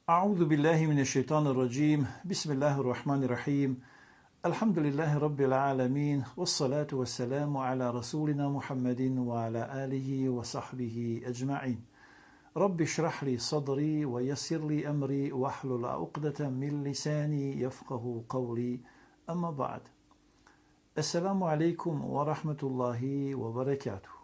أعوذ بالله من الشيطان الرجيم بسم الله الرحمن الرحيم الحمد لله رب العالمين والصلاة والسلام على رسولنا محمد وعلى آله وصحبه أجمعين رب اشرح لي صدري ويسر لي أمري واحلل عقدة من لساني يفقه قولي أما بعد السلام عليكم ورحمة الله وبركاته.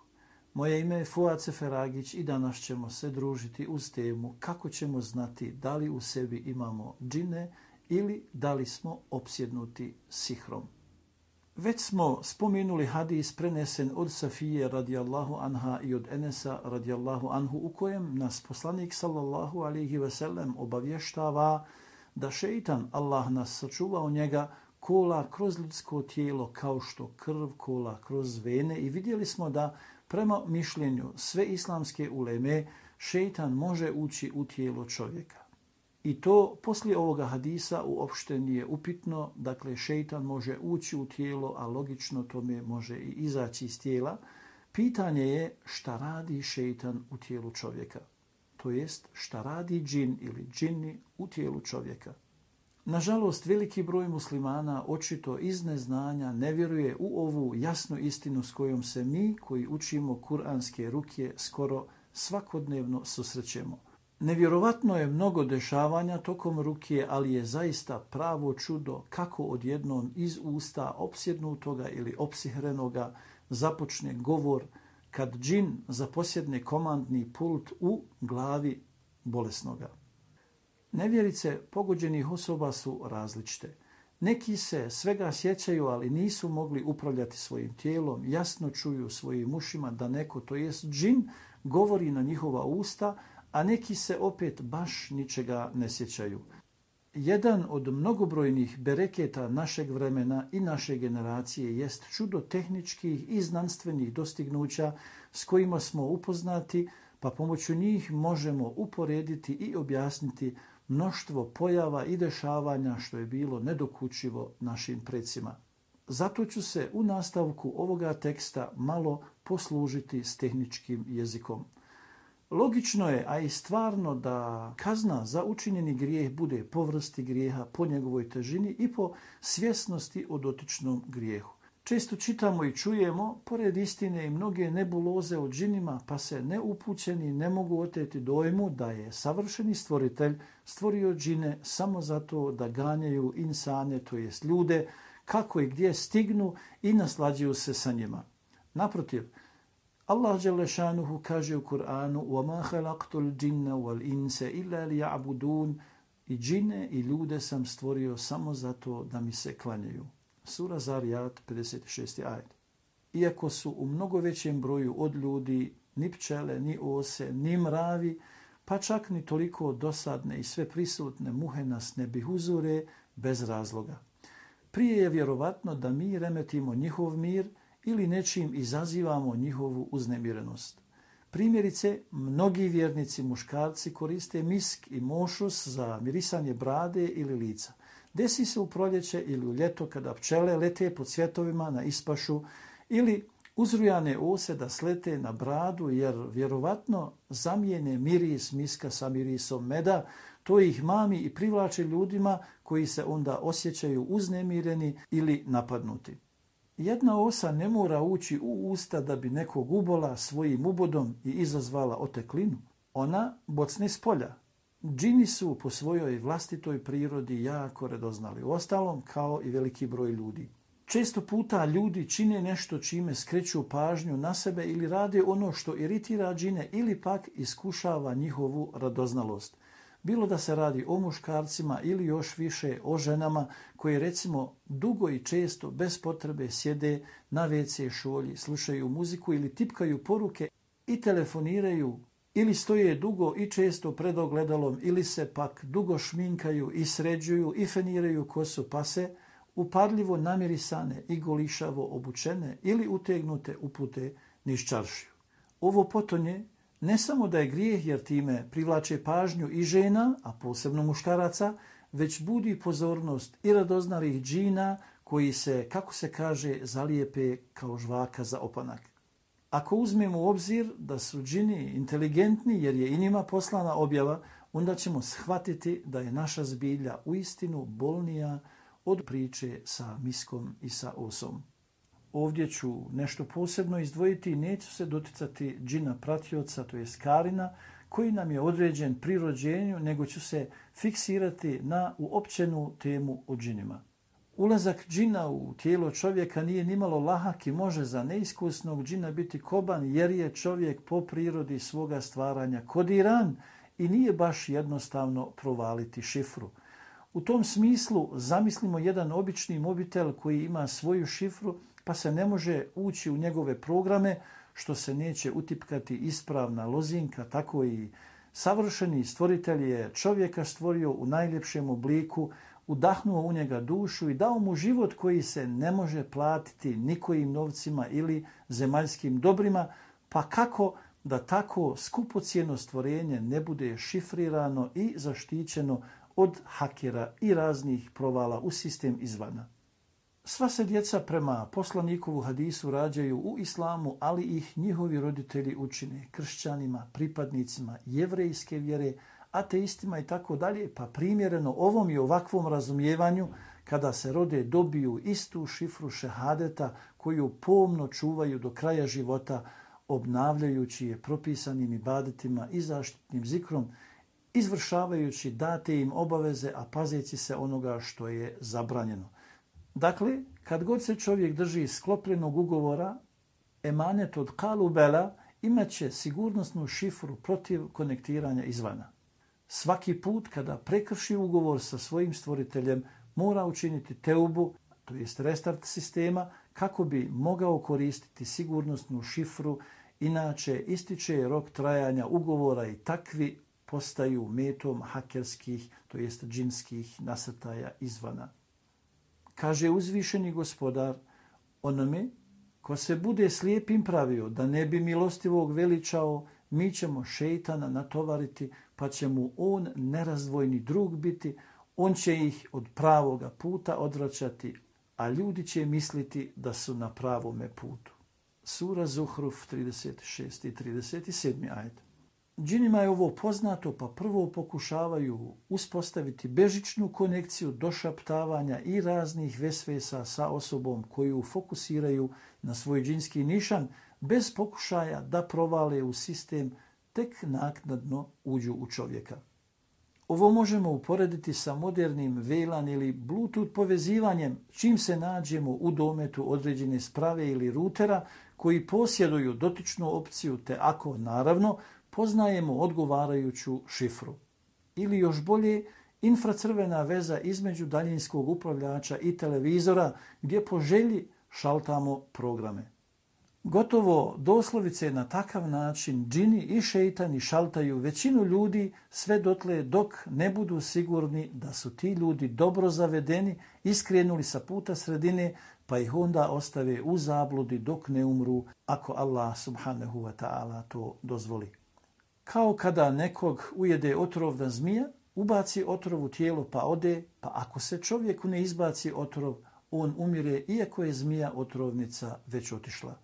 Moje ime je Fuad Seferagić i danas ćemo se družiti uz temu kako ćemo znati da li u sebi imamo džine ili da li smo opsjednuti sihrom. Već smo spomenuli hadis prenesen od Safije radijallahu anha i od Enesa radijallahu anhu u kojem nas poslanik sallallahu alejhi ve sellem obavještava da šeitan, Allah nas sačuvao njega, kola kroz ljudsko tijelo kao što krv kola kroz vene i vidjeli smo da prema mišljenju sve islamske uleme šeitan može ući u tijelo čovjeka. I to poslije ovoga hadisa uopšte nije upitno, dakle šeitan može ući u tijelo, a logično tome može i izaći iz tijela. Pitanje je šta radi šeitan u tijelu čovjeka, to jest šta radi džin ili džini u tijelu čovjeka. Nažalost, veliki broj muslimana očito iz neznanja ne vjeruje u ovu jasnu istinu s kojom se mi koji učimo kuranske rukje skoro svakodnevno susrećemo. Nevjerovatno je mnogo dešavanja tokom rukje, ali je zaista pravo čudo kako odjednom iz usta opsjednutoga ili opsihrenoga započne govor kad džin zaposjedne komandni pult u glavi bolesnoga. Nevjerice pogođenih osoba su različite. Neki se svega sjećaju, ali nisu mogli upravljati svojim tijelom, jasno čuju svojim ušima da neko, to jest džin, govori na njihova usta, a neki se opet baš ničega ne sjećaju. Jedan od mnogobrojnih bereketa našeg vremena i naše generacije jest čudo tehničkih i znanstvenih dostignuća s kojima smo upoznati, pa pomoću njih možemo uporediti i objasniti mnoštvo pojava i dešavanja što je bilo nedokučivo našim predsima. Zato ću se u nastavku ovoga teksta malo poslužiti s tehničkim jezikom. Logično je, a i stvarno, da kazna za učinjeni grijeh bude po vrsti grijeha, po njegovoj težini i po svjesnosti o dotičnom grijehu. Često čitamo i čujemo, pored istine, i mnoge nebuloze o džinima, pa se neupućeni ne mogu oteti dojmu da je savršeni stvoritelj stvorio džine samo zato da ganjaju insane, to jest ljude, kako i gdje stignu i naslađuju se sa njima. Naprotiv, Allah dželle šanuhu kaže u Kur'anu: وَمَا خَلَقْتُ الْجِنَّ وَالْإِنْسَ إِلَّا لِيَعْبُدُونَ, i džine i ljude sam stvorio samo zato da mi se klanjaju. Sura Zariyat, 56. ajet. Iako su u mnogo većem broju od ljudi ni pčele, ni ose, ni mravi, pa čak ni toliko dosadne i sve prisutne muhe nas ne bihuzure bez razloga. Prije je vjerovatno da mi remetimo njihov mir ili nečim izazivamo njihovu uznemirenost. Primjerice, mnogi vjernici muškarci koriste misk i mošus za mirisanje brade ili lica. Desi se u proljeće ili u ljeto kada pčele lete po cvjetovima na ispašu ili uzrujane ose da slete na bradu jer vjerovatno zamijene miris miska sa mirisom meda, to ih mami i privlače ljudima koji se onda osjećaju uznemireni ili napadnuti. Jedna osa ne mora ući u usta da bi nekog ubola svojim ubodom i izazvala oteklinu. Ona bocne s polja. Džini su po svojoj vlastitoj prirodi jako radoznali, uostalom kao i veliki broj ljudi. Često puta ljudi čine nešto čime skreću pažnju na sebe ili rade ono što iritira džine ili pak iskušava njihovu radoznalost. Bilo da se radi o muškarcima ili još više o ženama koje recimo dugo i često bez potrebe sjede na WC šolji, slušaju muziku ili tipkaju poruke i telefoniraju, ili stoje dugo i često pred ogledalom, ili se pak dugo šminkaju i sređuju i feniraju kosu, pa se upadljivo namirisane i golišavo obučene ili utegnute upute niz čaršiju. Ovo potonje ne samo da je grijeh jer time privlače pažnju i žena, a posebno muškaraca, već budi pozornost i radoznalih džina koji se, kako se kaže, zalijepe kao žvaka za opanak. Ako uzmemo u obzir da su džini inteligentni jer je i njima poslana objava, onda ćemo shvatiti da je naša zbilja uistinu bolnija od priče sa miskom i sa osom. Ovdje ću nešto posebno izdvojiti i neću se doticati džina pratioca, to je karina, koji nam je određen pri rođenju, nego ću se fiksirati na uopćenu temu o džinima. Ulazak džina u tijelo čovjeka nije nimalo lahak i može za neiskusnog džina biti koban, jer je čovjek po prirodi svoga stvaranja kodiran i nije baš jednostavno provaliti šifru. U tom smislu zamislimo jedan obični mobitel koji ima svoju šifru, pa se ne može ući u njegove programe, što se neće utipkati ispravna lozinka, tako i savršeni stvoritelj je čovjeka stvorio u najljepšem obliku, udahnuo u njega dušu i dao mu život koji se ne može platiti nikojim novcima ili zemaljskim dobrima, pa kako da tako skupocjeno stvorenje ne bude šifrirano i zaštićeno od hakera i raznih provala u sistem izvana. Sva se djeca prema poslanikovu hadisu rađaju u islamu, ali ih njihovi roditelji učine kršćanima, pripadnicima jevrejske vjere, ateistima i tako dalje, pa primjereno ovom i ovakvom razumijevanju, kada se rode dobiju istu šifru šehadeta koju pomno čuvaju do kraja života, obnavljajući je propisanim ibadetima i zaštitnim zikrom, izvršavajući date im obaveze, a pazeći se onoga što je zabranjeno. Dakle, kad god se čovjek drži sklopljenog ugovora, emanet od kalubela imaće sigurnosnu šifru protiv konektiranja izvana. Svaki put kada prekrši ugovor sa svojim stvoriteljem, mora učiniti teubu, to jest restart sistema, kako bi mogao koristiti sigurnosnu šifru, inače ističe rok trajanja ugovora i takvi postaju metom hakerskih, to jest džinskih nasrtaja izvana. Kaže uzvišeni gospodar, onome ko se bude slijepim pravio da ne bi milostivog veličao, mi ćemo šejtana natovariti, pa će mu on nerazdvojni drug biti, on će ih od pravoga puta odvraćati, a ljudi će misliti da su na pravome putu. Sura Zuhruf 36. i 37. ajet. Džinima je ovo poznato, pa prvo pokušavaju uspostaviti bežičnu konekciju došaptavanja i raznih vesvesa sa osobom koju fokusiraju na svoj džinski nišan, bez pokušaja da provale u sistem, tek naknadno uđu u čovjeka. Ovo možemo uporediti sa modernim VLAN ili Bluetooth povezivanjem, čim se nađemo u dometu određene sprave ili rutera koji posjeduju dotičnu opciju, te ako, naravno, poznajemo odgovarajuću šifru. Ili još bolje, infracrvena veza između daljinskog upravljača i televizora, gdje po želji šaltamo programe. Gotovo doslovice na takav način džini i šejtani šaltaju većinu ljudi sve dotle dok ne budu sigurni da su ti ljudi dobro zavedeni, iskrenuli sa puta sredine, pa ih onda ostave u zabludi dok ne umru, ako Allah subhanahu wa ta'ala to dozvoli. Kao kada nekog ujede otrovna zmija, ubaci otrov u tijelo pa ode, pa ako se čovjeku ne izbaci otrov, on umire iako je zmija otrovnica već otišla.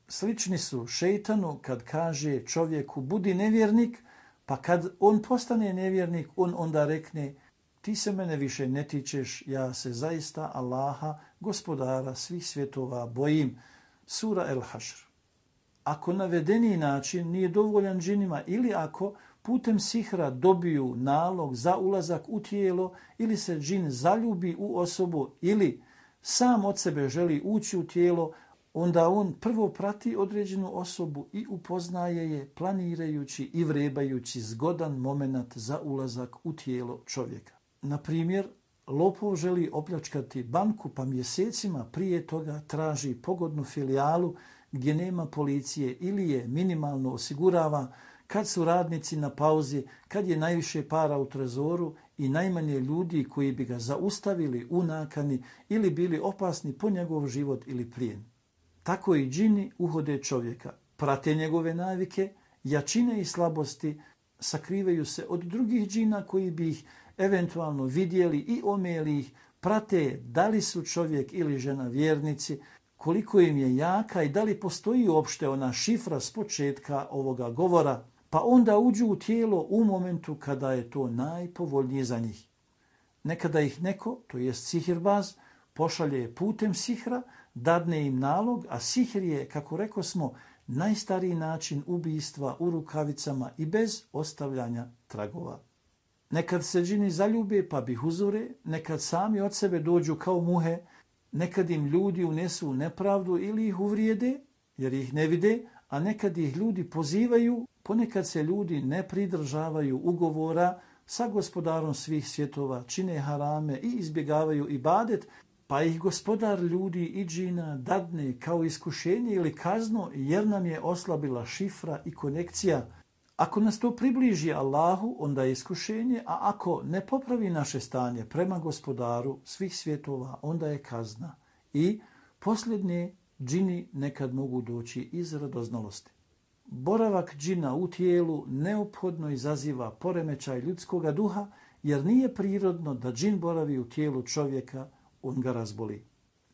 Slični su šejtanu kad kaže čovjeku budi nevjernik, pa kad on postane nevjernik, on onda rekne ti se mene više ne tičeš, ja se zaista Allaha, gospodara svih svjetova, bojim. Sura El-Hašr. Ako navedeni način nije dovoljan džinima ili ako putem sihra dobiju nalog za ulazak u tijelo ili se džin zaljubi u osobu ili sam od sebe želi ući u tijelo, onda on prvo prati određenu osobu i upoznaje je planirajući i vrebajući zgodan moment za ulazak u tijelo čovjeka. Na primjer, lopov želi opljačkati banku pa mjesecima prije toga traži pogodnu filijalu gdje nema policije ili je minimalno osigurava, kad su radnici na pauzi, kad je najviše para u trezoru i najmanje ljudi koji bi ga zaustavili u nakani ili bili opasni po njegov život ili plijen. Tako i džini uhode čovjeka, prate njegove navike, jačine i slabosti, sakrivaju se od drugih džina koji bi ih eventualno vidjeli i omeli ih, prate da li su čovjek ili žena vjernici, koliko im je jaka i da li postoji uopšte ona šifra s početka ovoga govora, pa onda uđu u tijelo u momentu kada je to najpovoljnije za njih. Nekada ih neko, to jest sihirbaz, pošalje putem sihra, dadne im nalog, a sihr je, kako rekao smo, najstariji način ubijstva u rukavicama i bez ostavljanja tragova. Nekad se džini zaljube pa bi huzure, nekad sami od sebe dođu kao muhe, nekad im ljudi unesu nepravdu ili ih uvrijede, jer ih ne vide, a nekad ih ljudi pozivaju, ponekad se ljudi ne pridržavaju ugovora sa gospodarom svih svjetova, čine harame i izbjegavaju ibadet, pa ih gospodar ljudi i džina dadne kao iskušenje ili kazno jer nam je oslabila šifra i konekcija. Ako nas to približi Allahu, onda je iskušenje, a ako ne popravi naše stanje prema gospodaru svih svjetova, onda je kazna. I posljednje, džini nekad mogu doći iz radoznalosti. Boravak džina u tijelu neophodno izaziva poremećaj ljudskoga duha, jer nije prirodno da džin boravi u tijelu čovjeka, on ga razboli.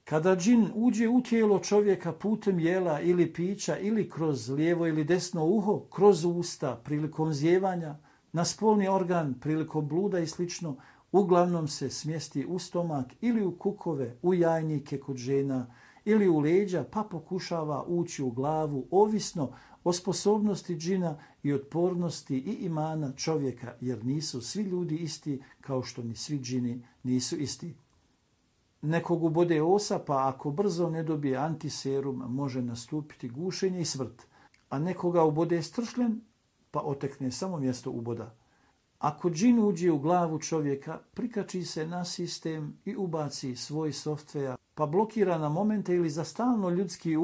Kada džin uđe u tijelo čovjeka putem jela ili pića ili kroz lijevo ili desno uho, kroz usta prilikom zjevanja, na spolni organ prilikom bluda i slično, uglavnom se smjesti u stomak ili u kukove, u jajnike kod žena ili u leđa, pa pokušava ući u glavu, ovisno o sposobnosti džina i otpornosti i imana čovjeka, jer nisu svi ljudi isti kao što ni svi džini nisu isti. Nekog ubode osa, pa ako brzo ne dobije antiserum, može nastupiti gušenje i smrt, a nekoga ubode stršljen, pa otekne samo mjesto uboda. Ako džin uđe u glavu čovjeka, prikači se na sistem i ubaci svoj softver, pa blokira na momente ili za stalno ljudski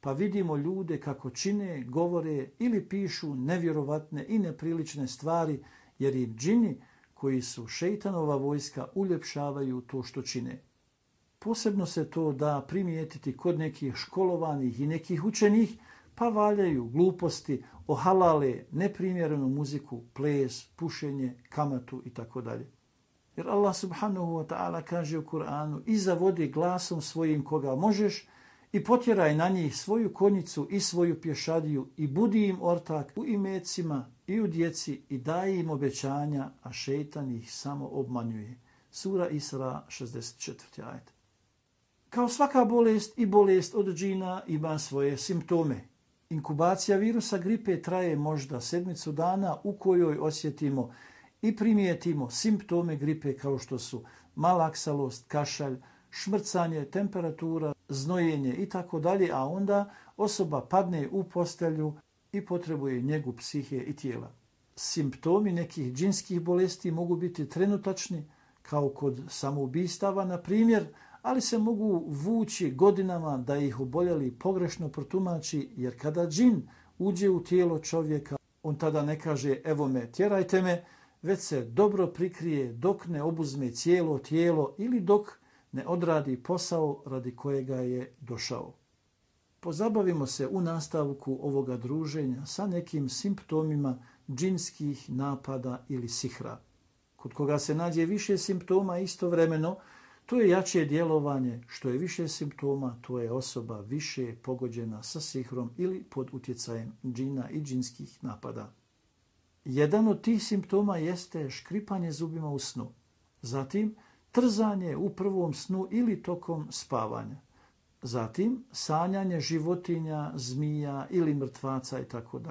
pa vidimo ljude kako čine, govore ili pišu nevjerovatne i neprilične stvari, jer i džini koji su šejtanova vojska uljepšavaju to što čine. Posebno se to da primijetiti kod nekih školovanih i nekih učenih, pa valjaju gluposti, ohalale neprimjerenu muziku, ples, pušenje, kamatu itd. Jer Allah subhanahu wa ta'ala kaže u Kur'anu: i zavodi glasom svojim koga možeš i potjeraj na njih svoju konjicu i svoju pješadiju i budi im ortak u imecima i u djeci i daj im obećanja, a šejtan ih samo obmanjuje. Sura Isra, 64. ajet. Kao svaka bolest i bolest od džina ima svoje simptome. Inkubacija virusa gripe traje možda 7 dana u kojoj osjetimo i primijetimo simptome gripe kao što su malaksalost, kašalj, šmrcanje, temperatura, znojenje itd., a onda osoba padne u postelju i potrebuje njegu psihe i tijela. Simptomi nekih džinskih bolesti mogu biti trenutačni, kao kod samoubistava, na primjer, ali se mogu vući godinama da ih oboljeli pogrešno protumači, jer kada džin uđe u tijelo čovjeka, on tada ne kaže evo me, tjerajte me, već se dobro prikrije dok ne obuzme cijelo tijelo ili dok ne odradi posao radi kojega je došao. Pozabavimo se u nastavku ovoga druženja sa nekim simptomima džinskih napada ili sihra. Kod koga se nađe više simptoma istovremeno, to je jače djelovanje. Što je više simptoma, to je osoba više pogođena sa sihrom ili pod utjecajem džina i džinskih napada. Jedan od tih simptoma jeste škripanje zubima u snu. Zatim, trzanje u prvom snu ili tokom spavanja. Zatim, sanjanje životinja, zmija ili mrtvaca itd.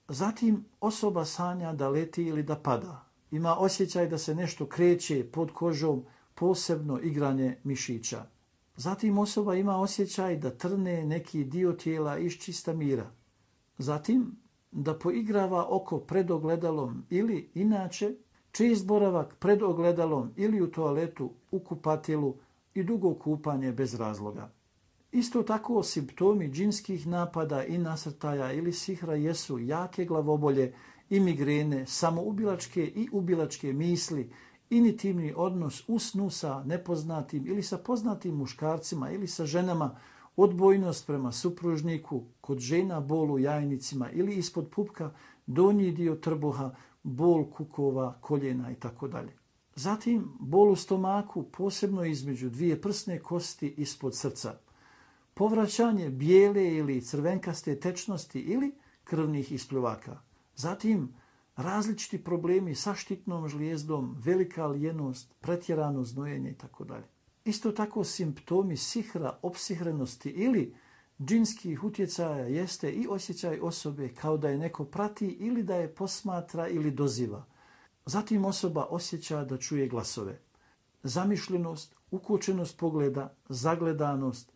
Zatim, osoba sanja da leti ili da pada. Ima osjećaj da se nešto kreće pod kožom, posebno igranje mišića. Zatim osoba ima osjećaj da trne neki dio tijela iz čista mira. Zatim da poigrava oko pred ogledalom ili inače čist boravak pred ogledalom ili u toaletu, u kupatilu i dugo kupanje bez razloga. Isto tako simptomi džinskih napada i nasrtaja ili sihra jesu jake glavobolje i migrene, samoubilačke i ubilačke misli, intimni odnos u snu sa nepoznatim ili sa poznatim muškarcima ili sa ženama, odbojnost prema supružniku, kod žena bol u jajnicima ili ispod pupka, donji dio trbuha, bol kukova, koljena itd. Zatim bol u stomaku, posebno između dvije prsne kosti ispod srca. Povraćanje bijele ili crvenkaste tečnosti ili krvnih ispljuvaka. Zatim, različiti problemi sa štitnom žlijezdom, velika lijenost, pretjerano znojenje itd. Isto tako simptomi sihra, opsihrenosti ili džinskih utjecaja jeste i osjećaj osobe kao da je neko prati ili da je posmatra ili doziva. Zatim osoba osjeća da čuje glasove. Zamišljenost, ukočenost pogleda, zagledanost,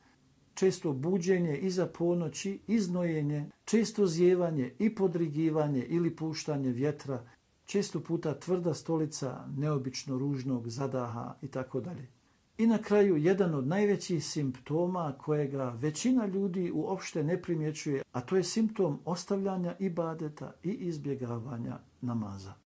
često buđenje iza ponoći, iznojenje, često zjevanje i podrigivanje ili puštanje vjetra, često puta tvrda stolica neobično ružnog zadaha itd. I na kraju jedan od najvećih simptoma kojega većina ljudi uopšte ne primjećuje, a to je simptom ostavljanja ibadeta i izbjegavanja namaza.